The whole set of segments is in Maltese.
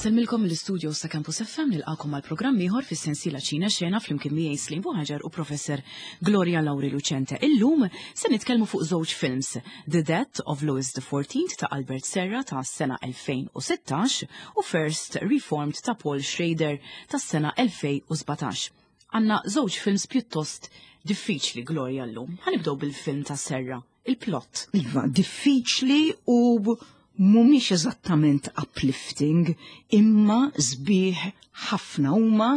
Insellmilkom mill-istudios ta' Campus FM nilqakom għal programm ieħor fis-sensiela Ċina Xena flimkien miegħi Slim Buħaġar u Professor Gloria Lauri Lucente. Illum se nitkellmu fuq żewġ films, The Death of Louis XIV ta' Albert Serra ta' sena 2016 u First Reformed ta' Paul Schrader ta' sena 2017. Għanna żewġ films pjuttost diffiċli Gloria llum. Ħanibdew bil-film ta' Serra il-plot. Iva, diffiċli u mhumiex eżattament uplifting, imma sbieħ ħafna huma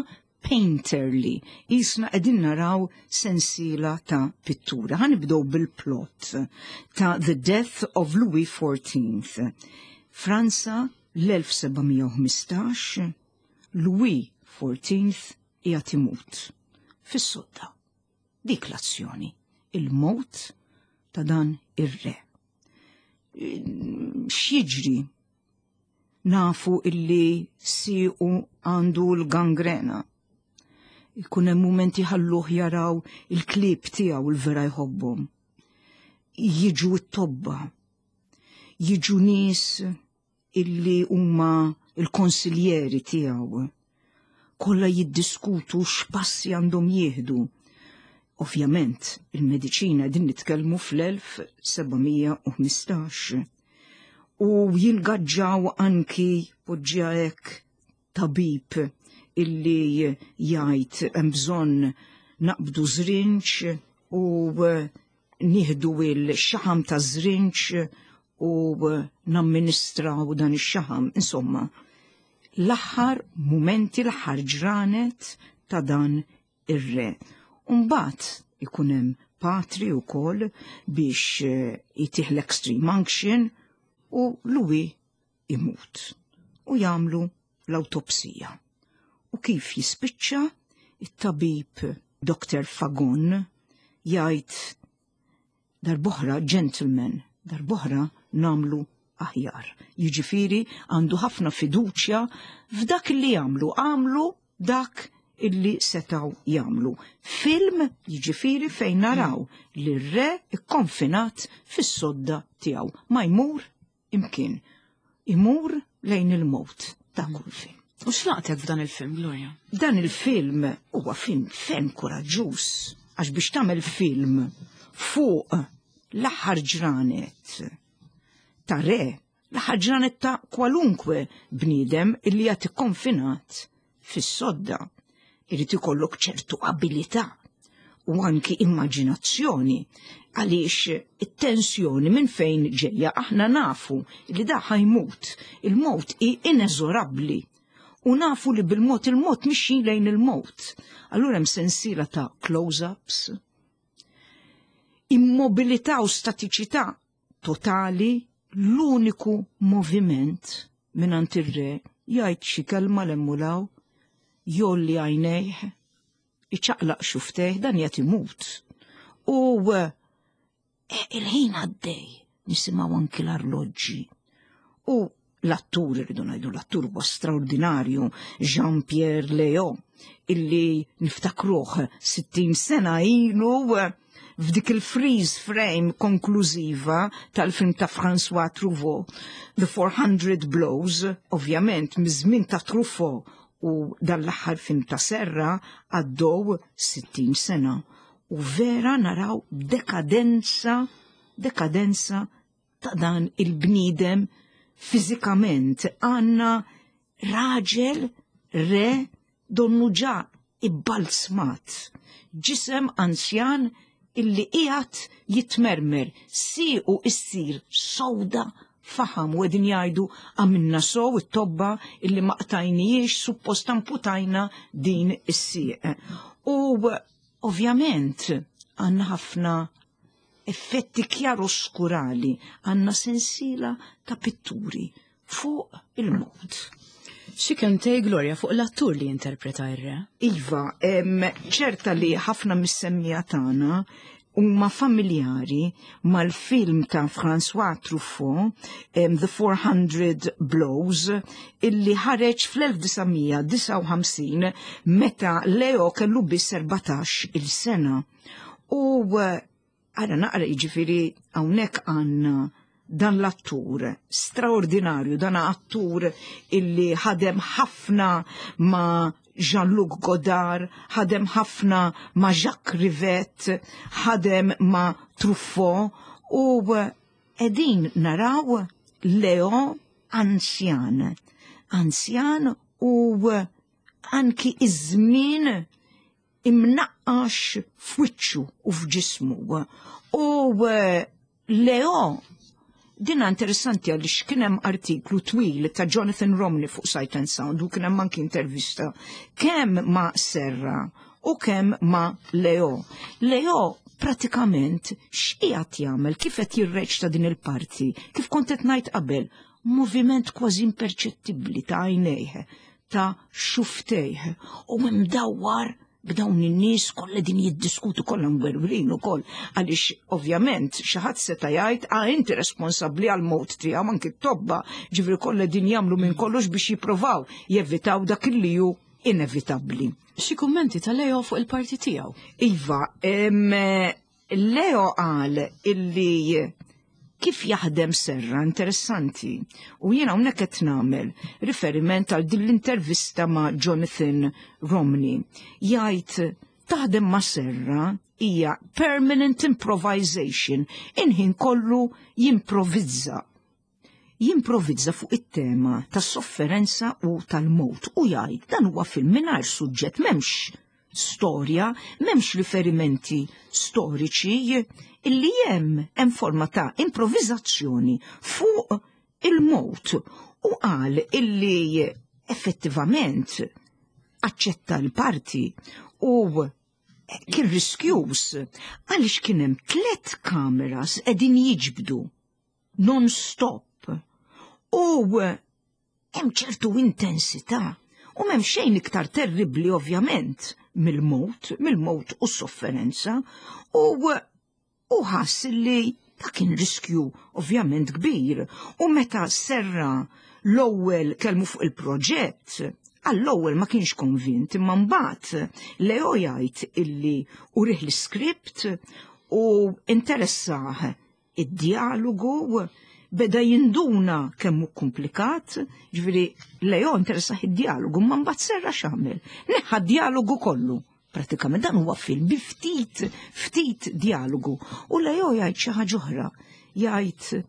painterly. Isna qegħdin naraw sensiela ta' pittura. Ħanibdew bil-plot ta' The Death of Louis XIV. Franza l-1715, Louis XIV qiegħed imut fis-sodda. Dik l-azzjoni, il-mowt ta' dan ir-re. X'jiġri? Nafu illi siequ għandu l-gangrena. Ikun hemm mumenti ħalluh jaraw il-klieb tiegħu l-vera jħobbhom. Jiġu t-tobba, jiġu nies illi huma l-konsiljeri tiegħu. Kollha jiddiskutu x'passi għandhom jieħdu. Ovvjament, il-mediċina din nitkellmu fl-1715. U jingaġġaw anki poġġija hekk tabib illi jgħid hemm bżonn naqbdu żrinġ u nieħdu il-xaħam ta' żrinġ u namministraw dan ix-xaħam. Insomma, l-aħħar mumenti, l-aħħar ġranet ta' dan ir-re. Umbagħad ikun hemm patri wkoll biex eh, jtih l-extreme unction u Louis imut u jagħmlu l-awtopsija. U kif jispiċċa it-tabib Dr. Fagon jgħid darboħra gentleman, darboħra namlu aħjar. Jiġifieri għandu ħafna fiduċja f'dak li jagħmlu, għamlu dak illi setaw jagħmlu. Film jiġifieri fejn naraw li r-re ikkonfinat fis-sodda tiegħu ma jmur imkien. Imur lejn il-mowt ta' kull film. U x'laqtek f'dan il-film, Gloria? Dan il-film huwa film ferm kuraġġuż għax biex tagħmel film fuq l-aħħar ġranet ta' re, l-aħħar ġranet ta' kwalunkwe bniedem illi jagħti konfinat fis-sodda. Irid ikollok ċertu abilità u anki immaġinazzjoni għaliex it-tensjoni minn fejn ġejja aħna nafu li da ħajmut, il-mowt hi ineżorabbli u nafu li bil-mod il-mod mixjin lejn il-mowt. Allura hemm sensiela ta' close-ups, immobilità u statiċità totali l-uniku moviment mingħand ir-re jgħid xi kelma l-emmulaw, jolli għajnejh, iċaqlaq xuftejh, dan jgħat imut. U eh, il-ħin għaddej, nisimgħu anki l-arloġġi. U l-attur, irridu ngħidu l-attur huwa straordinarju, Jean-Pierre Léo, illi niftakruh 60 sena ilu eh, f'dik il-freeze frame konklużiva tal-film ta' François Truffaut, The 400 Blows, ovvjament miż-żmien ta' Truffaut u dan l-aħħar film ta' Serra għaddew 60 sena. U vera naraw dekadenza, dekadenza ta' dan il-bniedem fiżikament għandna raġel re donnu ġa ibbalzmat, ġisem anzjan illi qiegħed jitmermer, siequ issir sowda faħam u qegħdin jgħidu għamilna sow it-tobba illi ma qtajnijiex suppost amputajna din is-sieq. U ovvjament għandna ħafna effetti kjaroskurali, għandna sensiela ta' pitturi fuq il-mod. Xi kentej Gloria fuq l-attur li interpreta ir-re? Iva, ċerta li ħafna mis-semmija tagħna huma familjari mal-film ta' François Truffaut, The 400 Blows, illi ħareġ fl-1959 meta Leo kellu biss 14 il-sena. U għara naqra jiġifieri hawnhekk għandna dan l-attur straordinarju, dan attur illi ħadem ħafna ma' Jean-Luc Godard, ħadem ħafna ma' Jacques Rivette, ħadem ma' Truffaut u qegħdin naraw Leo anzjan. Anzjan u anki iż-żmien imnaqqax f'wiċċu u f'ġismu. U Leo, dina interessanti għaliex kien hemm artiklu twil ta' Jonathan Romney fuq Sight and Sound u kien hemm anki intervista kemm ma' Serra u kemm ma' Leo. Leo pratikament x'qiegħed jagħmel, kif qed jirreċta din il-parti, kif kont qed ngħid qabel, moviment kważi imperċettibbli ta' għajnejh, ta' xuftejh u mdawwar b'dawn in-nies kollha din jiddiskutu kollha mwerwrin ukoll għaliex ovvjament xi ħadd seta' jgħid ah inti responsabbli għal mowt tiegħu anki t-tobba ġifieri kollha din jagħmlu minn kollox biex jippruvaw jevitaw dak li hu inevitabbli. Xi kummenti ta' Leo fuq il-parti tiegħu? Iva, Leo qal illi kif jaħdem Serra interessanti u jiena hawnhekk qed nagħmel riferiment għal din l-intervista ma' Jonathan Romney. Jgħid taħdem ma' Serra hija permanent improvisation, inħin kollu jimprovizza. Jimprovizza fuq it-tema tas-sofferenza u tal-mewt u jgħid dan huwa film mingħajr suġġett m'hemmx storja, m'hemmx riferimenti storiċi, illi hemm hemm forma ta' improvviżazzjoni fuq il-mewt u qal illi effettivament aċċetta l-parti u kien riskjuż għaliex kien hemm tliet kameras qegħdin jiġbdu non-stop u hemm ċertu intensità u m'hemm xejn iktar terribbli ovvjament mill-mewt, mill-mewt u s-sofferenza u u ħass li ta' kien riskju ovvjament kbir u meta Serra l-ewwel kellmu fuq il-proġett għall-ewwel ma kienx konvint imma mbagħad Leo jgħid illi urih l-iskript u interessah id-djalogu beda jinduna kemm hu komplikat, ġifieri Leo interessah id-djalogu, ma mbagħad Serra x'għamel? Neħħa d-djalogu kollu. Pratikament dan huwa film bi ftit, ftit djalogu. U Leo jgħid xi ħaġa oħra. Jgħid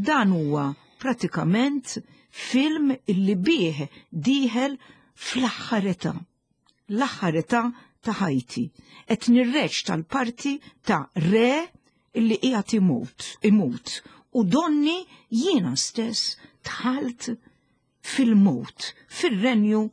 dan huwa pratikament film illi bih dieħel fl-aħħar età. L-aħħar età ta' ħajti. Qed nirreċta l-parti ta' re illi qiegħed imut, imut. U donni jiena stess dħalt fil-mewt, fir-renju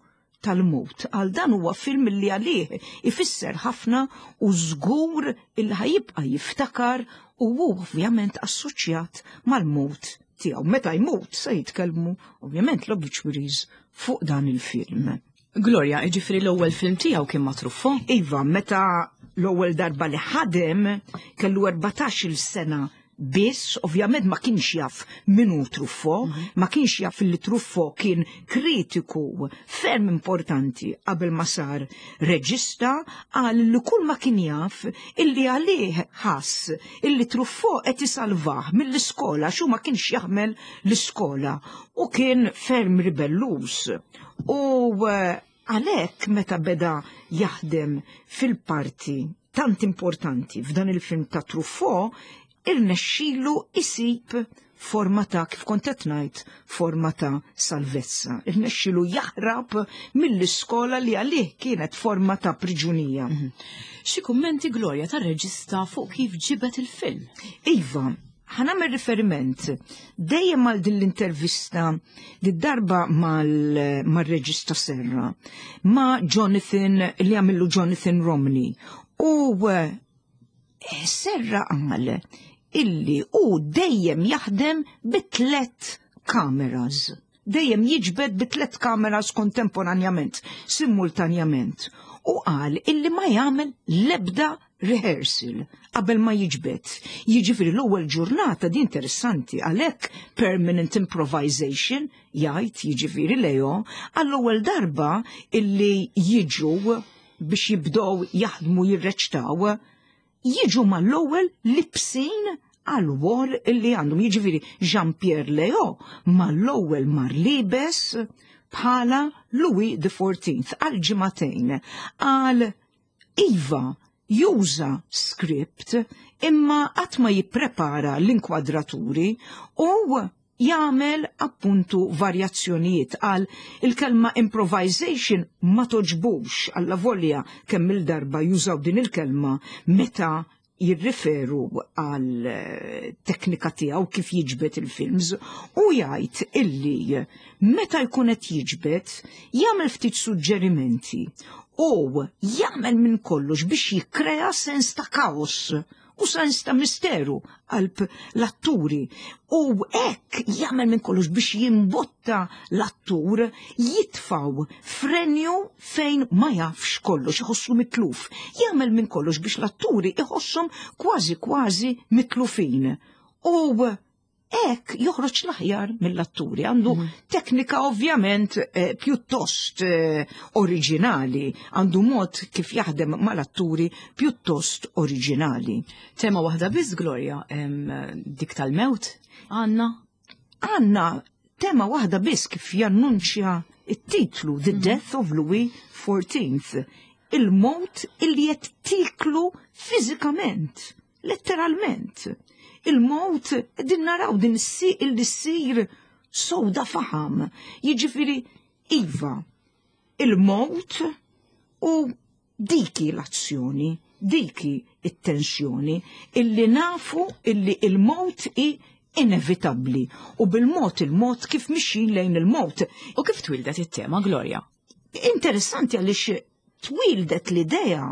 tal-mewt. Għal dan huwa film li għalih ifisser ħafna u żgur illi ħajibqa' jiftakar u hu ovvjament assoċjat mal-mewt tiegħu. Meta jmut se jitkellmu ovvjament l-obituaries fuq dan il-film. Gloria, jiġifieri l-ewwel film tiegħu kien ma' Truffaut? Iva, meta l-ewwel darba li ħadem kellu 14-il sena biss, ovvjament ma kienx jaf min hu Truffaut, ma kienx jaf li Truffaut kien kritiku ferm importanti qabel ma sar reġista, qal li kull ma kien jaf illi għalih ħass illi Truffaut qed isalvah mill-iskola x'hu ma kienx jaħmel l-iskola u kien ferm ribelluż. U għalhekk meta beda jaħdem fil-parti tant importanti f'dan il-film ta' Truffaut, irnexxilu isib forma ta' kif kont qed ngħid, forma ta' salvezza. Irnexxilu jaħrab mill-iskola li għalih kienet forma ta' priġunija. Xi kummenti Gloria tar-reġista fuq kif ġibet il-film? Iva, ħa nagħmel riferiment dejjem għal din l-intervista di darba mal-reġista Serra ma' Jonathan li għamillu Jonathan Romney u Serra qal illi hu dejjem jaħdem bi tliet kameras. Dejjem jiġbed bi tliet kameras kontemporanjament, simultanjament. U qal illi ma jagħmel l-ebda rehearsal qabel ma jiġbed. Jiġifieri l-ewwel ġurnata di interessanti għalhekk permanent improvisation jgħid jiġifieri Leo għall-ewwel darba illi jiġu biex jibdew jaħdmu jirreċtaw jiġu mal-ewwel libsin għal wol illi għandhom. Jiġifieri Jean-Pierre Leo mal-ewwel mar libes bħala Louis XIV għal ġimagħtejn għal iva juża script imma qatt ma jipprepara l-inkwadraturi u jagħmel appuntu varjazzjonijiet għal il-kelma improvisation ma toġbux alla volja kemm il-darba jużaw din il-kelma meta jirriferu għal eh, teknika tiegħu kif jiġbed il-films u jgħid illi meta jkun qed jiġbed jagħmel ftit suġġerimenti u jagħmel minn kollox biex jikkrea sens ta' kaos u sens ta' misteru qalb l-atturi u hekk jagħmel minn kollox biex jimbotta l-attur jitfaw frenju fejn ma jafx kollox iħossu mitluf. Jagħmel minn kollox biex l-atturi iħosshom kważi kważi mitlufin. U hekk joħroġ l-aħjar mill-atturi. Għandu mhm. teknika ovvjament eh, pjuttost eh, oriġinali, għandu mod kif jaħdem mal-atturi pjuttost oriġinali. Tema waħda biss, Gloria, dik tal-mewt, għanna? Għanna tema waħda biss kif jannunċja it-titlu The mhm. Death of Louis XIV, il-mowt illi qed tiklu fiżikament Letteralment. Il-mowt din naraw din is-sieq illi ssir sowda faħam. Jiġifieri iva, il-mowt u diki l-azzjoni, diki it-tensjoni illi nafu illi il-mowt hi inevitabbli u bil-mod il-mod kif mixjin lejn il-mowt. U kif twildet it-tema, Gloria? Interessanti għaliex twildet l-idea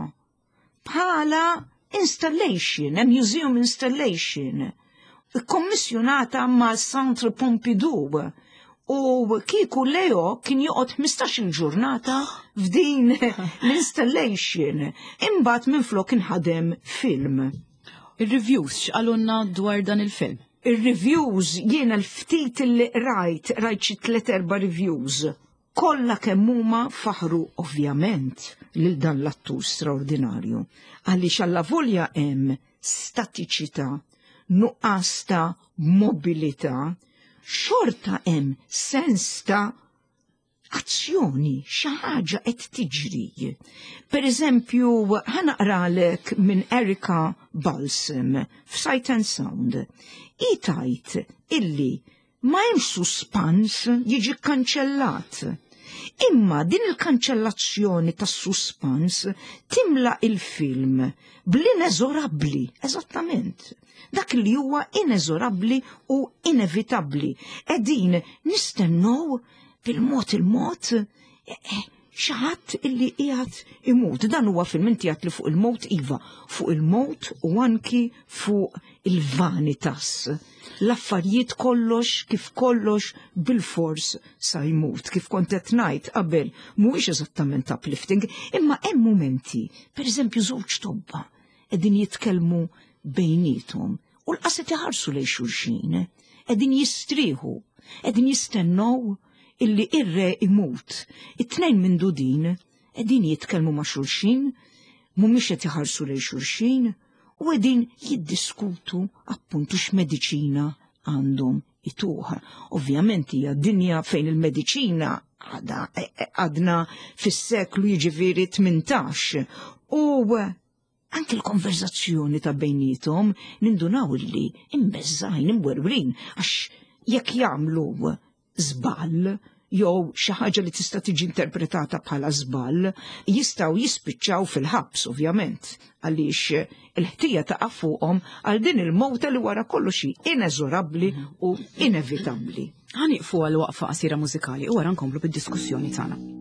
bħala installation, a museum installation, kommissjonata ma' Centre Pompidou. U kieku Leo kien joqgħod 15-il ġurnata f'din l-installation. Imbagħad minflok inħadem film. Ir-reviews x'qalulna dwar dan il-film? Ir-reviews jiena l-ftit li rajt, rajt xi tliet erba' reviews Kollha kemm huma faħħru ovvjament lil dan l-attur straordinarju għaliex allavolja hemm statiċità, nuqqas ta' mobilità, xorta hemm sens ta' azzjoni, xi ħaġa qed tiġri. Per eżempju, ħa naqralek minn Erika Balsam f'Sight and Sound. Hi tgħid illi Ma hemmx suspans jiġi kkanċellat. Imma din il-kanċellazzjoni tas-suspans timla il-film bl-ineżorabbli, eżattament. Dak li huwa ineżorabbli u inevitabbli. Qegħdin nistennew bil-mod il-mod eh, eh, xi ħadd illi qiegħed imut. Dan huwa film inti għedt li fuq il-mowt iva, fuq il-mowt u anki fuq il-vanitas. L-affarijiet kollox kif kollox bil-fors sa jmut. Kif kont qed ngħid qabel mhuwiex eżattament uplifting, imma hemm mumenti, pereżempju żewġ tobba qegħdin jitkellmu bejniethom u l-qas qed iħarsu lejn xulxin, qegħdin jistrieħu, qegħdin jistennew illi ir-re imut. It-tnejn minn dudin qegħdin jitkellmu ma' xulxin, mhumiex qed iħarsu lejn xulxin u qegħdin jiddiskutu appuntu x'mediċina għandhom ituh. Ovvjament hija dinja fejn il-mediċina għadha e, e, għadna fis-seklu jiġifieri 18 u Anki l-konverzazzjoni ta' bejnietom nindunaw illi imbeżżgħin, imwerwrin, għax jekk jagħmlu żball jew xi ħaġa li tista' tiġi interpretata bħala żball, jistgħu jispiċċaw fil-ħabs ovvjament, għaliex il-ħtija taqa' fuqhom għal din il-mowta li wara kollox hi ineżorabbli u inevitabbli. Ħa nieqfu għal waqfa qasira mużikali u wara nkomplu bid-diskussjoni tagħna.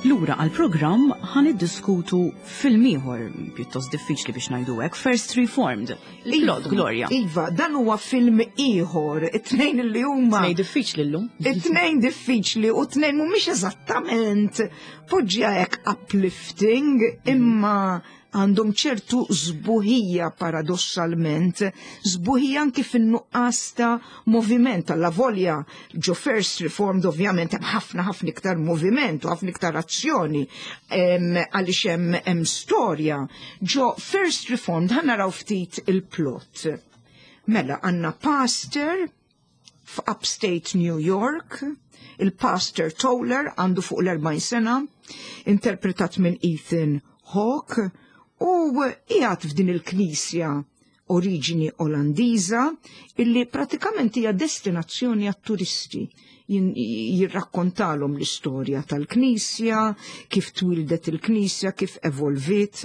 Lura għal-programm ħa niddiskutu film ieħor pjuttost diffiċli biex ngħidu hekk, First Reformed. Plot, Gloria. Iva, dan huwa film ieħor, it-tnejn li huma. Tnejn diffiċli llum. It-tnejn diffiċli u t-tnejn mhumiex eżattament poġġja hekk uplifting, imma għandhom ċertu sbuħija paradossalment, sbuħija anki fin-nuqqas ta' moviment alla volja ġo First Reformed ovvjament hemm ħafna ħafna iktar moviment u ħafna iktar azzjoni għaliex hemm storja. Ġo First Reformed ħa naraw ftit il-plot. Mela għandna pastor f'Upstate New York, il-pastor Toller għandu fuq l-40 sena, interpretat minn Ethan Hawke, u qiegħed f'din il-knisja oriġini Olandiża illi pratikament hija destinazzjoni għat-turisti. Jirrakkontalhom l-istorja tal-knisja, kif twildet il-knisja, kif evolvit.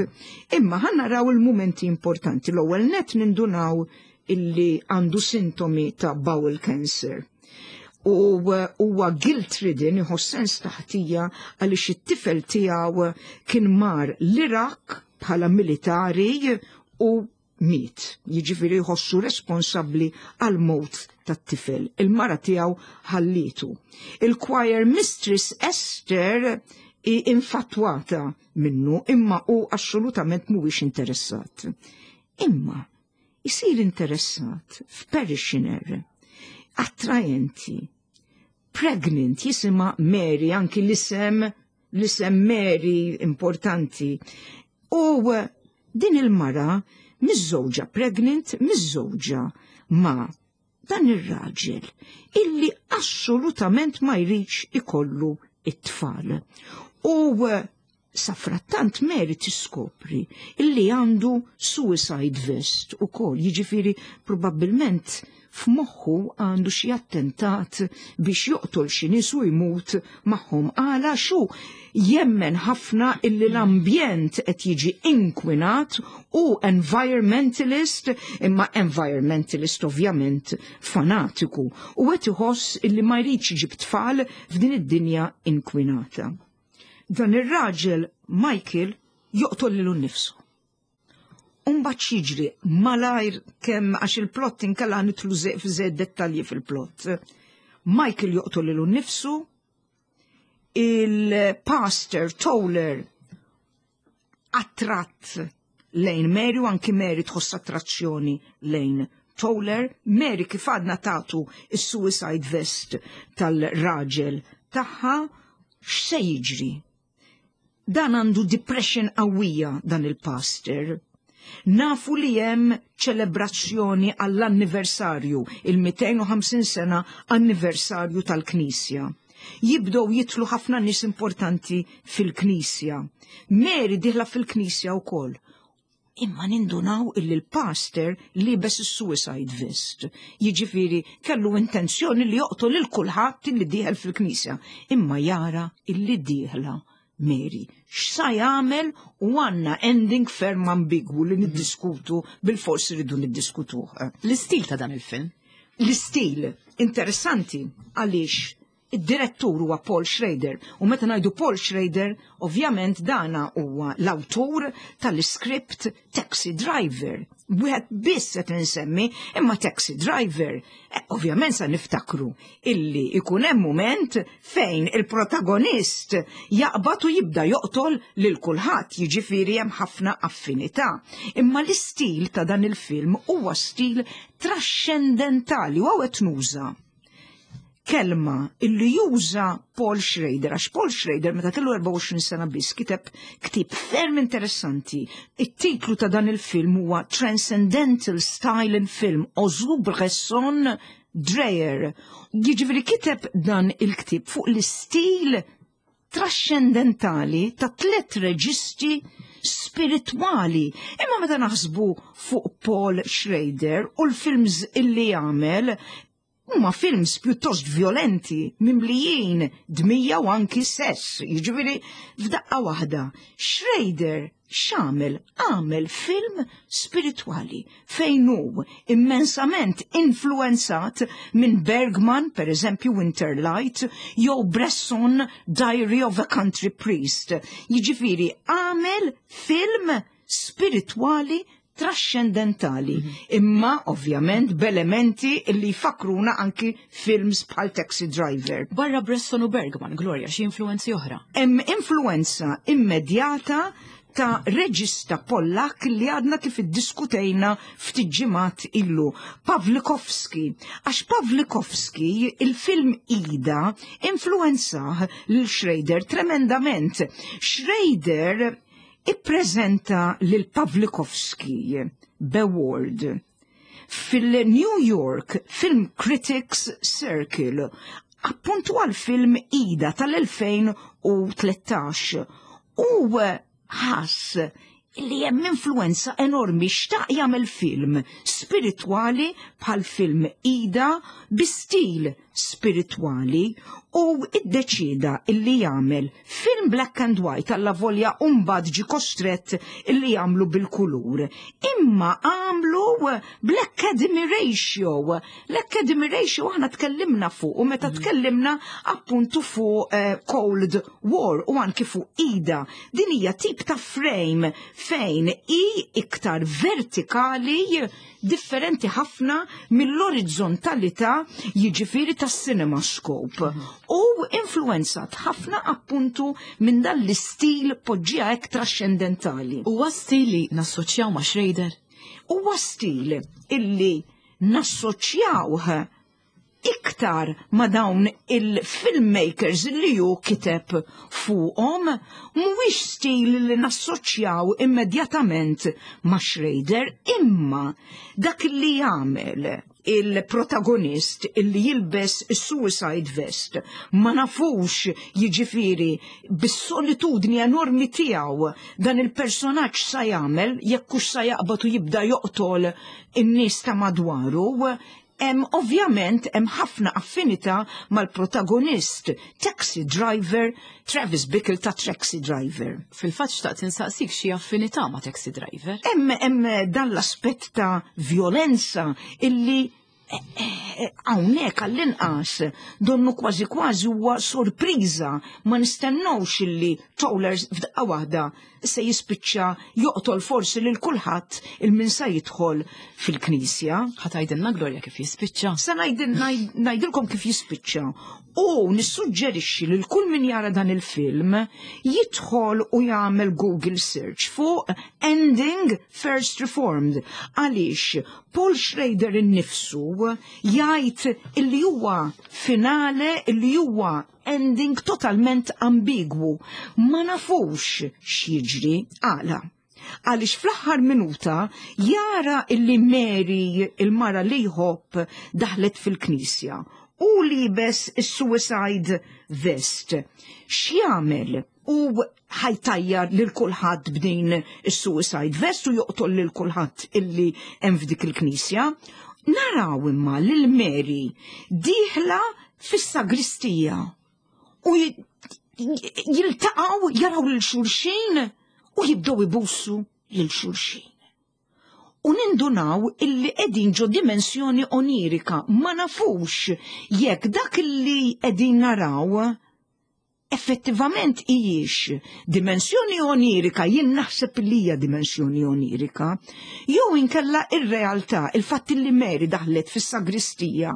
Imma ħa naraw il-mumenti importanti. L-ewwel net nindunaw illi għandu sintomi ta' bowel cancer. U huwa guilt-ridden, iħoss sens ta' ħtija għaliex it-tifel tiegħu kien mar l-Iraq bħala militari u miet. Jiġifieri jħossu responsabbli għal mewt tat-tifel. Il-mara tiegħu ħallitu. Il-choir mistress Esther hi infatwata minnu imma hu assolutament mhuwiex interessat. Imma isir interessat f'parishioner attrajenti, pregnant, jisimha Mary, anki l-isem Mary importanti. U din il-mara miżżewġa pregnant, miżżewġa ma' dan ir-raġel illi assolutament ma jridx ikollu it-tfal. U safrattant Mary tiskopri illi għandu suicide vest u kol, jiġifieri probabbilment f'moħħu għandu xi attentat biex joqtol xi nies u jmut magħhom għala xu jemmen ħafna illi l-ambjent qed jiġi inkwinat u environmentalist, imma environmentalist ovvjament fanatiku, u qed iħoss illi ma jridx iġib tfal f'din id-dinja inkwinata. Dan ir-raġel Michael joqtol lilu nnifsu. Umbagħad jiġri malajr kemm għax il-plot inkella nidħlu f'żejjed dettalji fil-plot. Michael joqtol lilu nnifsu, il-pastor Toller attratt lejn Mary u anki Mary tħoss attrazzjoni lejn Toller. Mary kif għadna tatu is-suicide vest tal-raġel tagħha, x'se jiġri? Dan għandu depression qawwija dan il-pastor. Nafu li hemm ċelebrazzjoni għall-anniversarju, il-250 sena anniversarju tal-Knisja. Jibdew jidħlu ħafna nies importanti fil-Knisja. Mary dieħla fil-Knisja wkoll. Imma nindunaw illi l-pastor libes is-suicide vest. Jiġifieri kellu intenzjoni li joqtol lil kulħadd illi dieħel fil-Knisja. Imma jara illi dieħla Mary. X'sa jagħmel u għandna ending ferm ambigwu li niddiskutu bil-fors rridu niddiskutuh. L-istil ta' dan il-film? L-istil interessanti għaliex id-direttur huwa Paul Schrader u meta ngħidu Paul Schrader, ovvjament dana huwa l-awtur tal-script Taxi Driver. Wieħed biss qed insemmi, imma Taxi Driver, ovvjament sa niftakru illi ikun hemm mument fejn il-protagonist jaqbad u jibda joqtol lil kulħadd, jiġifieri hemm ħafna affinità. Imma l-istil ta' dan il-film huwa stil trascendentali u qed nuża kelma illi juża Paul Schrader, għax Paul Schrader meta kellu 24 sena biss kiteb ktieb ferm interessanti. It-titlu ta' dan il-film huwa Transcendental Style in Film, Ozu Bresson Dreyer. Jiġifieri kiteb dan il-ktieb fuq l-istil trascendentali ta' tliet reġisti spiritwali. Imma meta naħsbu fuq Paul Schrader u l-films illi jagħmel, Huma films pjuttost violenti, mimlijin dmija u anki sess, jiġifieri f'daqqa waħda. Schrader x'għamel? Għamel film spiritwali fejn hu immensament influenzat minn Bergman, per eżempju Winterlight, jew Bresson Diary of a Country Priest. Jiġifieri għamel film spiritwali traxxendentali, imma ovvjament b'elementi li jfakkruna anki films bħal Taxi Driver. Barra Bresson u Bergman, Gloria, xi influenzi oħra? Hemm influenza immedjata ta' reġista Pollak li għadna kif iddiskutejna ftit ġimgħat ilu, Pawlikowski. Għax Pawlikowski il-film Ida influenzah lil Schrader tremendament. Schrader ippreżenta lil Pawlikowski b'award fil-New York Film Critics Circle appuntu għal film Ida tal-2013 u ħass li hemm influenza enormi, xtaq jagħmel film spiritwali bħal film Ida bi stil spiritwali u iddeċieda illi jagħmel film black and white alla volja mbagħad ġie kostrett illi jagħmlu bil-kulur. Imma għamlu bl-Academy Ratio. L-Academy Ratio aħna tkellimna fuq u meta tkellimna appuntu fuq Cold War u anki fuq Ida. Din hija tip ta' frame fejn hi iktar vertikali, differenti ħafna mill-orizzontalità jiġifieri tas-cinemascope u influenzat ħafna appuntu minn dan l-istil poġġija hekk traxxendentali. Huwa stil li nassoċjaw ma' Schrader? Huwa stil illi nassoċjawh iktar ma' dawn il-filmmakers li hu kiteb fuqhom, mhuwiex stil li nassoċjaw immedjatament ma' Schrader, imma dak li jagħmel il-protagonist illi jilbes is-suicide vest, ma nafux jiġifieri bis-solitudni enormi tiegħu dan il-personaġġ sa jagħmel jekk hux sa jaqbad u jibda joqtol in-nies ta' madwaru. Hemm ovvjament hemm ħafna affinità mal-protagonist Taxi Driver, Travis Bickle ta' Taxi Driver. Fil-fatt xtaqt insaqsik xi affinità ma' Taxi Driver. Hemm dan l-aspett ta' violenza illi hawnhekk għall-inqas donnu kważi kważi huwa sorpriża, ma nistennewx illi Toller f'daqqa waħda se jispiċċa joqtol forsi lil kulħadd il-min sa jidħol fil-knisja. Ħa tgħidilna Gloria kif jispiċċa? Sa ngħidilkom kif jispiċċa. U nissuġġerixxi lil kull min jara dan il-film jidħol u jagħmel Google search fuq Ending First Reformed, għaliex Paul Schrader innifsu jgħid illi huwa finale, illi huwa ending totalment ambigwu. Ma nafux x'jiġri għala. Għaliex fl-aħħar minuta jara illi Mary, il-mara li jħobb, daħlet fil-knisja u libes is-suicide vest. X'jagħmel? U ħajtajjar lil kulħadd b'din is-suicide vest u joqtol lil kulħadd illi hemm f'dik il-knisja. Naraw imma lil Mary dieħla fis-sagristija u jiltaqgħu, jaraw lil xulxin u jibdew ibusu lil xulxin. U nindunaw illi qegħdin ġo dimensjoni onirika, ma nafux jekk dak illi qegħdin naraw effettivament hijiex dimensjoni onirika, jien naħseb li hija dimensjoni onirika, jew inkella ir-realtà, il-fatt li Mary daħlet fis-sagristija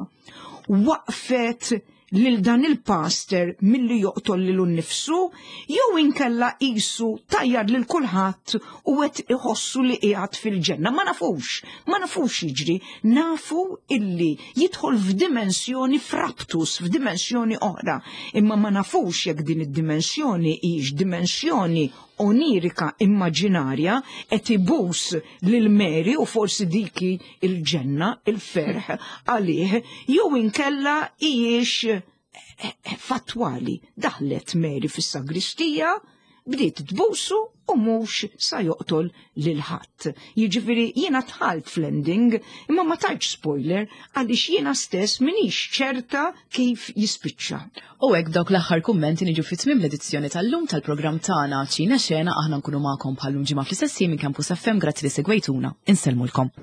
waqfet lil dan il-pastor milli joqtol lilu nnifsu, jew inkella qisu tajjar lil kulħadd u qed iħossu li qiegħed fil-ġenna. Ma nafux, ma nafux jiġri, nafu illi jidħol f'dimensjoni fraptus, f'dimensjoni oħra, imma ma nafux jekk din id-dimensjoni hix dimensjoni onirika immaġinarja qed ibus lil Mary u forsi diki il-ġenna, il-ferħ għalih, jew inkella hijiex fattwali. Daħlet Mary fis-sagristija, Bdiet tbusu u mhux sa joqtol lil ħadd. Jiġifieri jiena dħalt fl-ending imma ma tajtx spoiler għaliex jiena stess minix ċerta kif jispiċċa. U hekk b'dawk l-aħħar kummenti niġu fi tmiem l-edizzjoni tal-lum tal-programm tagħna Ċina Xena. Aħna nkunu magħkom bħal-lum ġimgħa fl-istess minn Campus FM. Grazzi li segwejtuna. Insellmulkom.